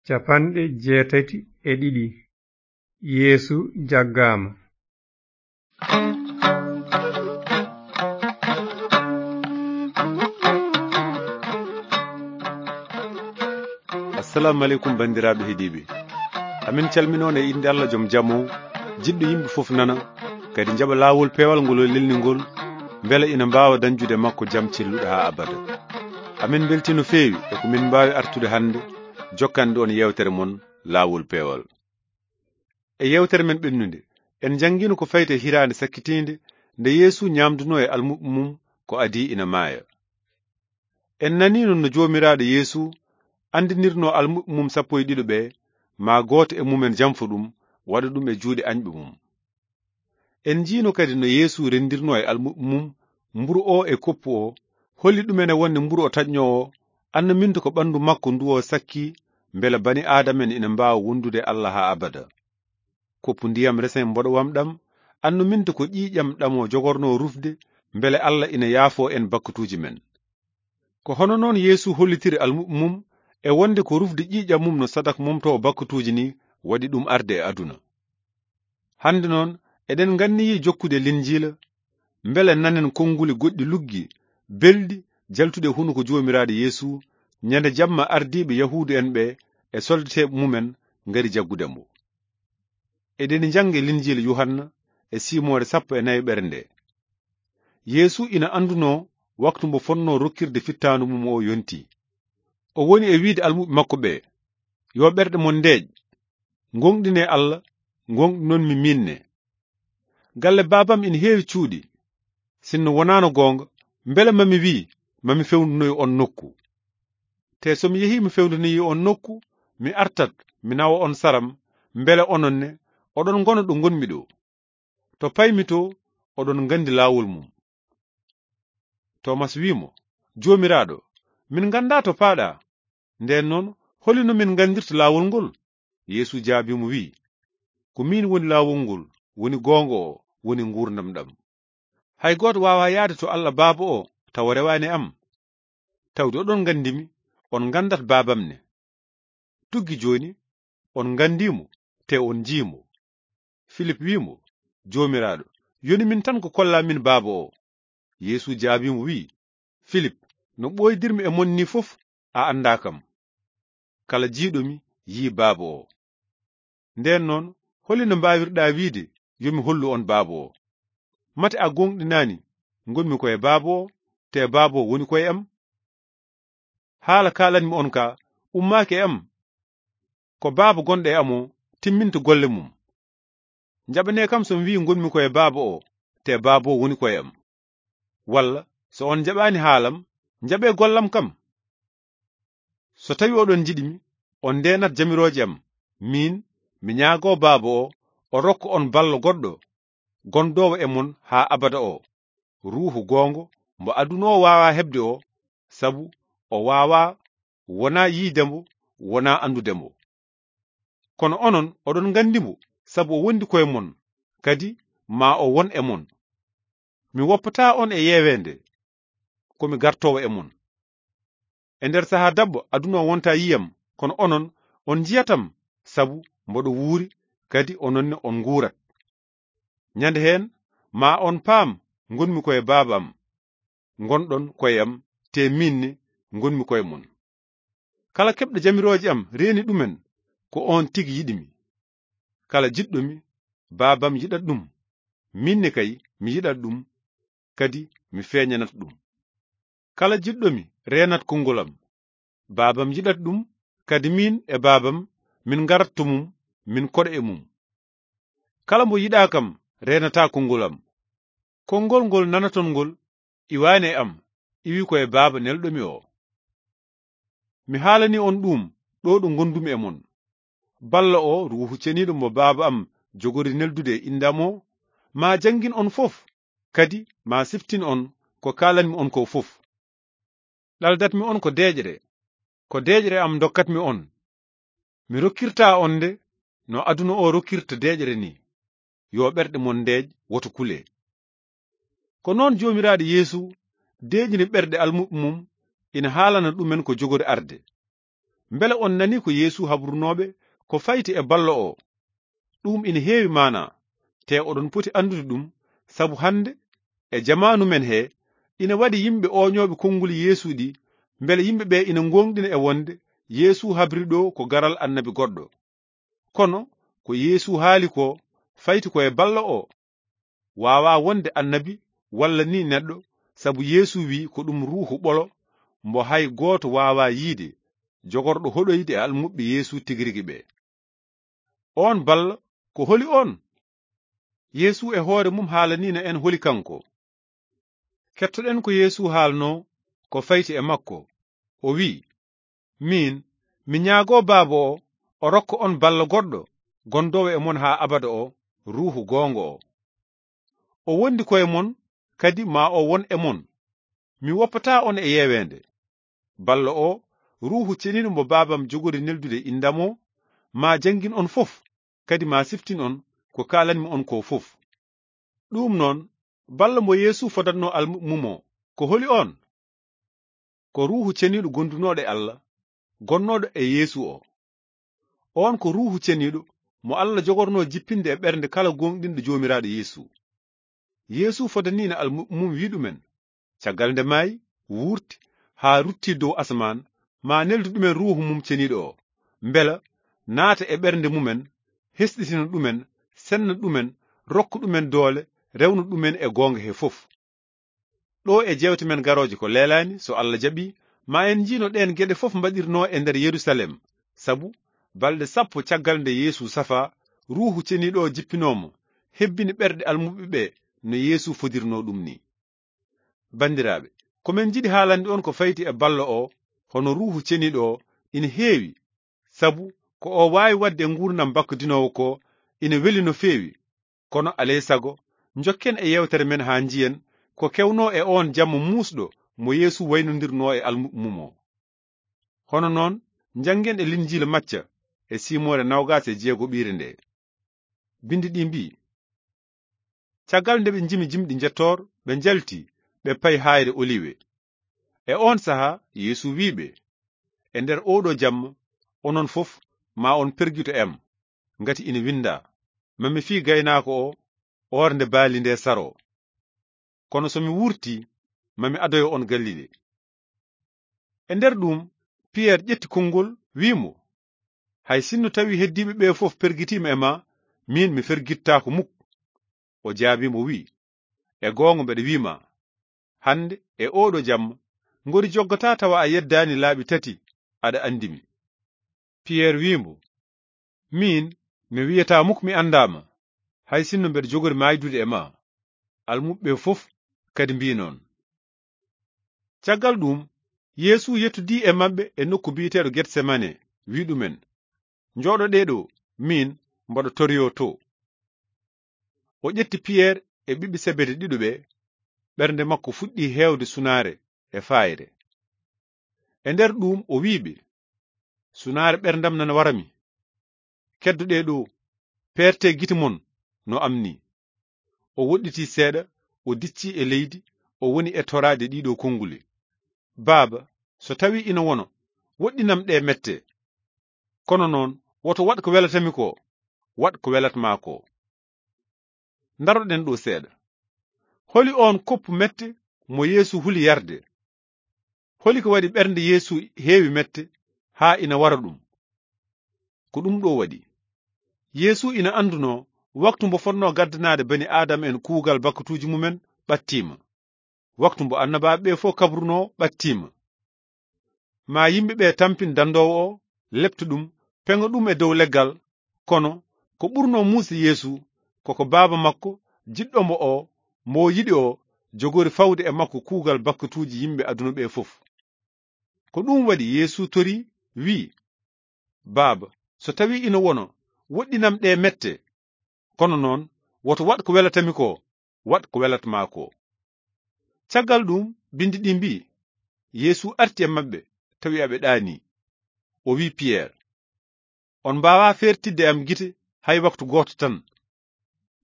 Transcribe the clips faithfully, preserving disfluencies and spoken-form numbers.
Capanɗe jeetati e ɗiɗi. Yeesu jaggaama. Assalamu aleykum, banndiraaɓe heɗiiɓe. Amin calminoo e innde Allah, jom jam o, jiɗɗo yimɓe fof nana, kadi njaɓa laawol peewal ngol o lelni ngol, mbele ina mbaawa dañjude makko jam celluɗo haa abada. Amin mbeltii no feewi e ko min mbaawi artude hannde, jokkande on yeewtere mon, Laawol Peewal. E yeewtere men ɓennunde, en njanngiino ko fayti e hiraande sakkitiinde nde Yeesu ñaamdunoo e almuɓɓe mum ko adii ina maaya. En naniino no Joomiraaɗo Yeesu anndinirnoo almuɓɓe mum sappo e ɗiɗo ɓe, maa gooto e mumen janfo ɗum, waɗa ɗum e juuɗe añɓe mum. En njiino kadi no Yeesu renndirnoo e almuɓɓe mum mburu o e koppu o, holli ɗumen e wonde mburu o taƴnoo o, annuminta ko ɓanndu makko ndu o sakki, mbele bani Aadama en ina mbaawa wondude Allah haa abada. Koppu ndiyam resen mboɗowam ɗam, annuminta ko ƴiiƴam ɗam o jogornoo rufde, mbele Allah ina yaafoo en bakkatuuji men. Ko hono noon Yeesu hollitiri almuɓɓe mum e wonde ko rufde ƴiiƴam mum no sadak momtoowo bakkatuuji ni waɗi ɗum arde e aduna. Hannde noon, eɗen nganniyii jokkude Linjiila, mbele nanen konnguli goɗɗi luggi, belɗi, jaltuɗi e hunuko Joomiraaɗo Yeesu, ñande jamma ardiiɓe Yahuudu en ɓe e soldateeɓe mumen ngari jaggude mbo. Eɗen njannga Linjiila Yuhanna e siimoore sappo e nayi ɓere nde. Yeesu ina anndunoo waktu mbo fotnoo rokkirde fittaandu mum o yontii. O woni e wiide almuɓɓe makko ɓe, "Yo ɓerɗe mon ndeeƴ, ngoonɗinee Allah, ngoonɗinon mi miin ne. Galle baabam ina heewi cuuɗi. Sinno wonaano goonga, mbele ma mi wii, ma mi fewndunoy on nokku. Te so mi yehii mi fewndinoyi on nokku, mi artat, mi nawa on saram, mbele onon ne, oɗon ngona ɗo ngonmi ɗo. To paymi to, oɗon nganndi laawol mum." Toomas wii mo, "Joomiraaɗo, min nganndaa to paaɗaa. Ndeen noon, holi no min nganndirta laawol ngol?" Yeesu jaabii mo, wii, "Ko miin woni laawol ngol, woni goonga o, woni nguurndam ɗam. Hay gooto waawaa yahde to Allah Baaba o tawa rewaani e am. Tawde oɗon nganndi mi, on nganndat Baabam ne. Tuggi jooni, on nganndii mo, te on njii mo." Filip wii mo, "Joomiraaɗo, yoni min tan ko kollaa min Baaba o." Yeesu jaabii mo, wii, "Filip, no ɓooydirmi e mon ni fof, a anndaa kam. Kala jiiɗo mi, yii Baaba o. Ndeen noon, holi no mbaawirɗaa wiide, yo mi hollu on Baaba o? Mate a goonɗinaani, ngonmi ko e Baaba o, te Baaba o woni ko e am? Haala kaalanmi on ka, ummaaki e am. Ko Baaba gonɗo e am o timminta golle mum. Njaɓanee kam so mi wii ngonmi ko e Baaba o, te Baaba o woni ko e am. Walla so on njaɓaani haalam, njaɓee gollam kam. So tawi oɗon njiɗi mi, on ndeenat jamirooje am. Miin, mi ñaagoo Baaba o, o rokka on ballo goɗɗo, gondoowo e mon haa abada o, Ruuhu goongo, mbo aduna o waawaa heɓde o, sabu o waawaa wonaa yiide mbo, wonaa anndude mbo. Kono onon oɗon nganndi mbo, sabu o wondi koye mon, kadi ma o won e mon. Mi woppataa on e yeeweende, ko mi gartoowo e mon. E nder sahaa daɓɓo aduna o wonta yiyam, kono onon on njiyatam, sabu mboɗo wuuri, kadi onon ne on nguurat. Ñande heen, ma on paam ngonmi koye Baaba am, ngonɗon koye am, te miin ne ngonmi koye mon. Kala keɓɗo jamirooje am reeni ɗumen, ko oon tigi yiɗi mi. Kala jiɗɗo mi, Baaba am yiɗat ɗum. Miin ne kay, mi yiɗat ɗum, kadi mi feeñanat ɗum. Kala jiɗɗo mi reenat konngol am. Baaba am yiɗat ɗum, kadi miin e Baaba am min ngarat to mum, min koɗa e mum. Kala mbo yiɗaa kam reenataa konngol am. Konngol ngol nanaton ngol iwaani e am, iwi ko e Baaba nelɗo mi o. Mi haalani on ɗum ɗo ɗo ngondumi e mon. Balla o, Ruuhu Ceniiɗo mo Baaba am jogori neldude e innde am o, ma janngin on fof, kadi ma siftin on ko kaalanmi on ko fof. Ɗaldatmi on ko deeƴre, ko deeƴre am dokkatmi on. Mi rokkirtaa on nde no aduna o rokkirta deeƴre ni. Yo ɓerɗe mon ndeeƴ, woto kule. Ko noon Joomiraaɗo Yeesu deeƴni ɓerɗe almuɓɓe mum, ina haalana ɗumen ko jogori arde. Mbele on nanii ko Yeesu habrunooɓe ko fayti e ballo oo? Ɗum ina heewi maanaa, te oɗon poti anndude ɗum, sabu hannde e jamaanu men hee, ina waɗi yimɓe ooñooɓe konnguli Yeesu ɗi, mbele yimɓe ɓee ina ngooŋɗina e wonde Yeesu habri ɗo ko garal annabi goɗɗo. Kono ko Yeesu haali ko fayti ko e ballo oo. Waawaa wonde annabi walla ni neɗɗo, sabu Yeesu wiyi ko ɗum ruuhu ɓolo mbo hay gooto waawaa yiyde, jogorɗo hoɗoyde e almuɓɓe Yeesu tigi rigi ɓee. Oon ballo, ko holi oon? Yeesu e hoore mum haalaniino en holi kanko. Kettoɗen ko Yeesu haalnoo ko fayti e makko. O wiyi, miin, mi ñaagoo Baaba o, o rokka on ballo goɗɗo, gondoowo e mon haa abada o, ruuhu goonga o. O wondi ko e mon, kadi ma o won e mon. Mi woppataa on e yeeweende. Ballo o, ruuhu ceniiɗo mbo Baabam jogori neldude inndam o, ma janngin on fof, kadi ma siftin on ko kaalanmi on ko fof. Ɗum noon, ballo mbo Yeesu fodatnoo almuɓɓe mum o, ko holi oon? Ko ruuhu ceniiɗo gondunooɗo e Allah, gonnooɗo e Yeesu o. Oon ko ruuhu ceniiɗo mo Allah jogornoo jippinde e ɓernde kala gooŋɗinɗo Joomiraaɗo Yeesu. Yeesu fodaniino almuɓɓe mum wiyi ɗumen, caggal nde maayi, wuurti, haa ruttii dow asamaan, ma neldu ɗumen ruuhu mum ceniiɗo o, mbela naata e ɓernde mumen, hesɗitina ɗumen, senna ɗumen, rokka ɗumen doole, rewna ɗumen e goonga he fof. Ɗo e jeewte men garooje ko leelaani, so Allah jaɓii, ma en njiino ɗeen geɗe fof mbaɗirnoo e nder Yerusalem, sabu balɗe sappo caggal nde Yeesu safaa, ruuhu ceniiɗo o jippinoo mo, hebbini ɓerɗe almuɓɓe ɓe no Yeesu fodirnoo ɗum ni. Banndiraaɓe, ko men njiɗi haalande on ko fayti e ballo o, hono ruuhu ceniiɗo o, ina heewi, sabu ko o waawi waɗde e nguurndam bakkadinoowo ko, ina weli no feewi. Kono alay sago, njokken e yeewtere men haa njiyen ko kewnoo e oon jamma muusɗo mo Yeesu waynondirnoo e almuɓɓe mum o. Hono noon, njanngen e Linjiila Macca e siimoore noogaas e jeegoɓiire nde. Binndi ɗi mbiyi, caggal nde ɓe njimi jimɗi njettoor, ɓe njalti, ɓe payi haayre Oliwe. E oon sahaa, Yeesu wiyi ɓe, e nder ooɗo jamma, onon fof, ma on pergito e am, ngati ina winndaa, ma mi fii gaynaako o, oornde baali nde saroo. Kono so mi wuurtii, ma mi adoyo on Galile. E nder ɗum, Piyeer ƴetti konngol, wiyi mo, hay sinno tawi heddiiɓe ɓe fof pergitiima e ma, miin mi fergittaako muk. O jaabii mo, wiyi, e goonga mbeɗa wiyi ma, hannde e ooɗo jamma, ngori joggataa tawa a yeddaani laabi tati aɗa anndi mi. Piyeer wiyi mo, miin, mi wiyataa muk mi anndaa ma, hay sinno mbeɗa jogori maaydude e ma. Almuɓɓe ɓe fof kadi mbii noon. Caggal ɗum, Yeesu yettodii e maɓɓe e nokku biyeteeɗo Getsemane, wiyi ɗumen, njooɗoɗee ɗo, miin mboɗo toriyo to. O ƴetti Piyeer e ɓiɓɓe Sebede ɗiɗo ɓe, ɓernde makko fuɗɗii heewde sunaare e faayre. E nder ɗum o wiyi ɓe, sunaare ɓerndam nana wara mi. Keddoɗee ɗo, peertee gite mon no am ni. O woɗɗitii seeɗa, o diccii e leydi, o woni e toraade ɗiɗo konnguli, Baaba, so tawii ina wona, woɗɗinam ɗe mette. Kono noon, woto waɗ ko welata mi ko, waɗ ko welata ma ko. Ndaroɗen ɗo seeɗa. Holi oon koppu mette mo Yeesu huli yarde? Holi ko waɗi ɓernde Yeesu heewi mette haa ina wara ɗum? Ko ɗum ɗo waɗi. Yeesu ina anndunoo waktu mbo fotnoo gaddanaade bani Aadama en kuugal bakkatuuji mumen ɓattiima. Waktu mbo annabaaɓe ɓe fof kabrunoo ɓattiima. Ma yimɓe ɓe tampin dandoowo o, lepta ɗum, peŋa ɗum e dow leggal. Kono ko ɓurnoo muusde Yeesu, ko ko Baaba makko, jiɗɗo mo o, mo o yiɗi o, jogori fawde e makko kuugal bakkatuuji yimɓe aduna ɓe fof. Ko ɗum waɗi Yeesu torii, wiyi, Baaba, so tawii ina wona, woɗɗinam ɗe mette. Kono noon, woto waɗ ko welata mi ko, waɗ ko welata ma ko. Caggal ɗum, binndi ɗi mbii, Yeesu arti e maɓɓe, tawi aɓe ɗaanii. O wiyi Piyeer, on mbaawaa feertidde am gite hay waktu gooto tan.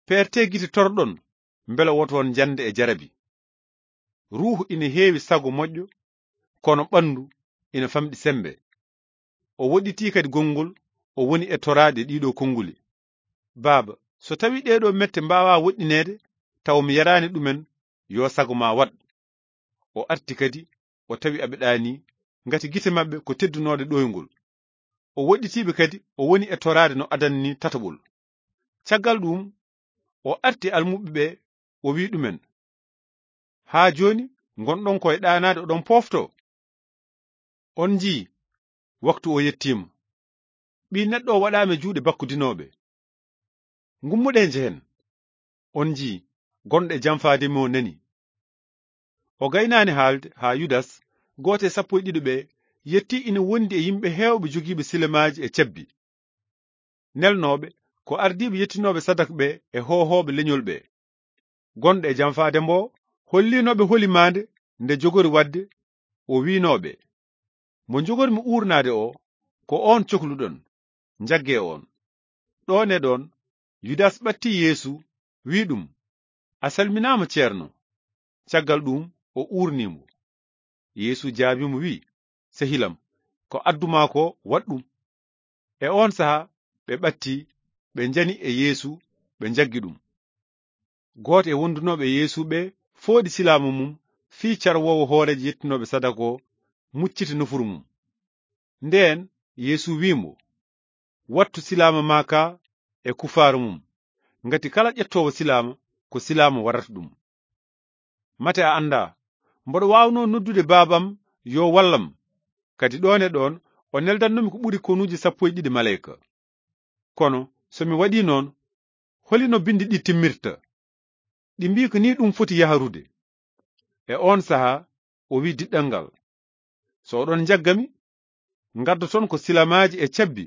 Peertee gite torɗon, mbele woto on njannde e jarabi. Ruuhu ina heewi sago moƴƴo, kono ɓanndu ina famɗi semmbe. o woɗɗitii kadi gonngol, o woni e toraade ɗiiɗoo konnguli. Baaba, so tawii ɗeeɗoo mette mbaawaa woɗɗineede, tawa mi yaraani ɗumen, yo sago maa waɗ. O arti kadi, o tawi aɓe ɗaanii, ngati gite maɓɓe ko teddunooɗe ɗooyngol. O woɗɗitiiɓe kadi, o woni e toraade no adana nii tataɓol. Caggal ɗuum, o arti almuɓɓe ɓe, o wi'i ɗumen, "Haa jooni ngonɗon ko e ɗaanaade oɗon pooftoo? On njii, waktu o yettiima. Ɓii neɗɗo o waɗaama e juuɗe bakkudinooɓe. Ngummuɗee njehen. On njii, gonɗo e janfaade mi o nani." O gaynaani haalde haa Yudas, gooto e sappo e ɗiɗo ɓe, yettii ina wondi e yimɓe heewɓe jogiiɓe silamaaji e cabbi, nelnooɓe ko ardiiɓe yettinooɓe sadak ɓe e hoohooɓe leñol ɓe. Gonɗo e janfaade mbo, holliinooɓe holi maande nde jogori waɗde, o wi'nooɓe, "Mo njogormi uurnaade o, ko oon cokluɗon, njaggee oon." Ɗoon e ɗoon, Yudas ɓattii Yeesu, wi'i ɗum, "A salminaama, Ceerno." Caggal ɗuum, o uurnii mo. Yeesu jaabii mo, wi'i, "Sehilam, ko addu maa ko, waɗ ɗum." E oon sahaa, ɓe ɓattii, ɓe njani e Yeesu, ɓe njaggi ɗum. Gooto e wondunooɓe e Yeesu ɓe fooɗi silaama mum fii carwoowo hooreejo yettinooɓe sadaka o, mucciti nofuru mum. Ndeen Yeesu wi'i mo, "Wattu silaama maa kaa e kufaaru mum, ngati kala ƴettoowo silaama, ko silaama warata ɗum." Mate a anndaa, mboɗo waawnoo noddude Baabam yo wallam, kadi ɗoon e ɗoon o neldatnoomi ko ɓuri konuuji sappo e ɗiɗi maleyka. Kono so mi waɗii noon, holi no binndi ɗi timmirta? Ɗi mbii ko nii ɗum foti yahrude. E oon sahaa, o wi'i diɗɗal ngal, "So oɗon njagga mi, ngaddoton ko silamaaji e cabbi,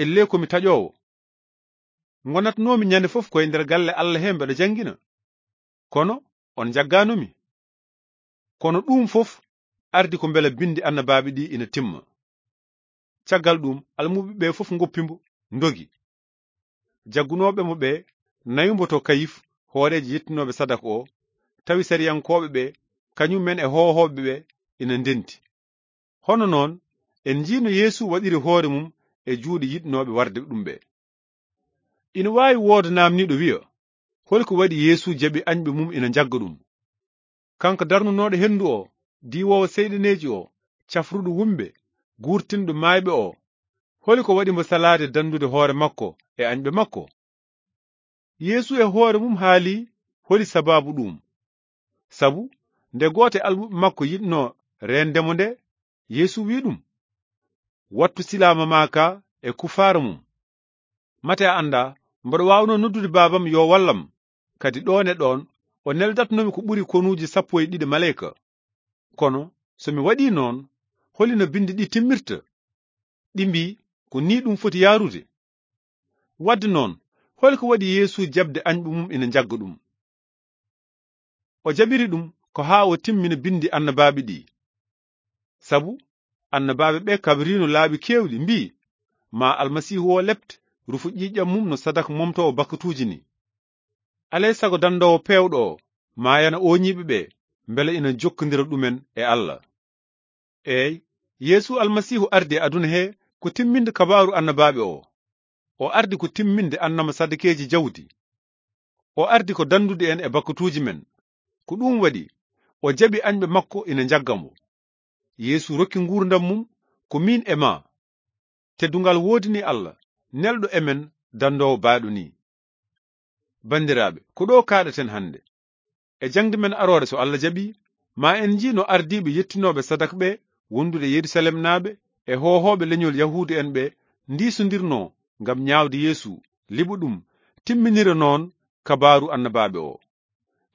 ellee ko mi taƴoowo. Ngonatnoomi ñande fof koye nder galle Alla he mbeɗa janngina, kono on njaggaano mi. Kono ɗum fof ardi ko mbela binndi annabaaɓe ɗi ina timma." Caggal ɗum, almuɓɓe ɓe fof ngoppi mbo, ndogi. Jaggunooɓe mo ɓe nawi mbo to Kayif, hooreejo yettinooɓe sadaka o, tawi sariyankooɓe ɓe, kañum en e hoohooɓe ɓe, ina ndenti. Hono noon, en njii no Yeesu waɗiri hoore mum e juuɗe yiɗnooɓe warde ɗum ɓe. Ina waawi wooda naamniiɗo wi'a, "Holi ko waɗi Yeesu jaɓi añɓe mum ina njagga ɗum? Kanko darnunooɗo henndu o, diwoowo seyɗaneeji o, cafruɗo wumɓe, guurtinɗo maayɓe o, holi ko waɗi mbo salaade danndude hoore makko e añɓe makko?" Yeesu e hoore mum haali holi sabaabu ɗum. Sabu nde gooto e almuɓɓe makko yiɗnoo reende mo nde, Yeesu wi'i ɗum, "Wattu silaama maa kaa e kufaara mum. Mate a anndaa, mboɗo waawnoo noddude Baabam yo wallam, kadi ɗoon e ɗoon o neldatnoomi ko ɓuri konuuji sappo e ɗiɗi maleyka. Kono so mi waɗii noon, holi no binndi ɗi timmirta? Ɗi mbii ko nii ɗum foti yahrude." Wadde noon, holi ko waɗi Yeesu jaɓde añɓe mum ina njagga ɗum? O jaɓiri ɗum ko haa o timmina binndi annabaaɓe ɗi. Sabu annabaaɓe ɓe kabriino laabi keewɗi, mbii, "Ma Almasiihu o lepte, rufo ƴiiƴam mum no sadak momtoowo bakkatuuji ni. Alay sago danndoowo peewɗo o maayana ooñiiɓe ɓe, mbela ina jokkondira ɗumen e Alla." Eey, Yeesu Almasiihu ardi e aduna he ko timminde kabaaru annabaaɓe o. O ardi ko timminde annama sadakeeji jawdi. O ardi ko danndude en e bakkatuuji men. Ko ɗum waɗi, o jaɓi añɓe makko ina njagga mo. Yeesu rokki nguurndam mum ko miin e maa. Teddungal woodini Alla, nelɗo e men danndoowo baɗo nii. Banndiraaɓe, ko ɗo kaaɗaten hannde. E jaŋde men aroore, so Alla jaɓi, ma en njii no ardiiɓe yettinooɓe sadak ɓe wondude Yerusalemnaaɓe e hoohooɓe leñol Yahuudu en ɓe ndiisondirnoo ngam ñaawde Yeesu, liɓo ɗum, timminira noon kabaaru annabaaɓe o.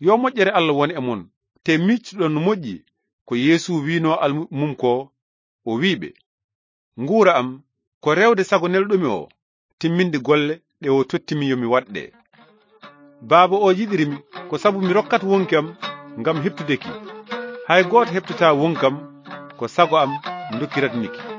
Yo moƴƴere Alla won e mon, te miictuɗon no moƴƴi ko Yeesu wiinoo almuɓɓe mum ko, o wi'i ɓe, "Nguura am ko rewde sago nelɗo mi o, timminde golle ɗe o totti mi yo mi waɗ ɗe. Baaba o yiɗiri mi ko sabu mi rokkat wonki am ngam heɓtude ki. Hay gooto heɓtataa wonki am, ko sago am ndokkirat mi ki."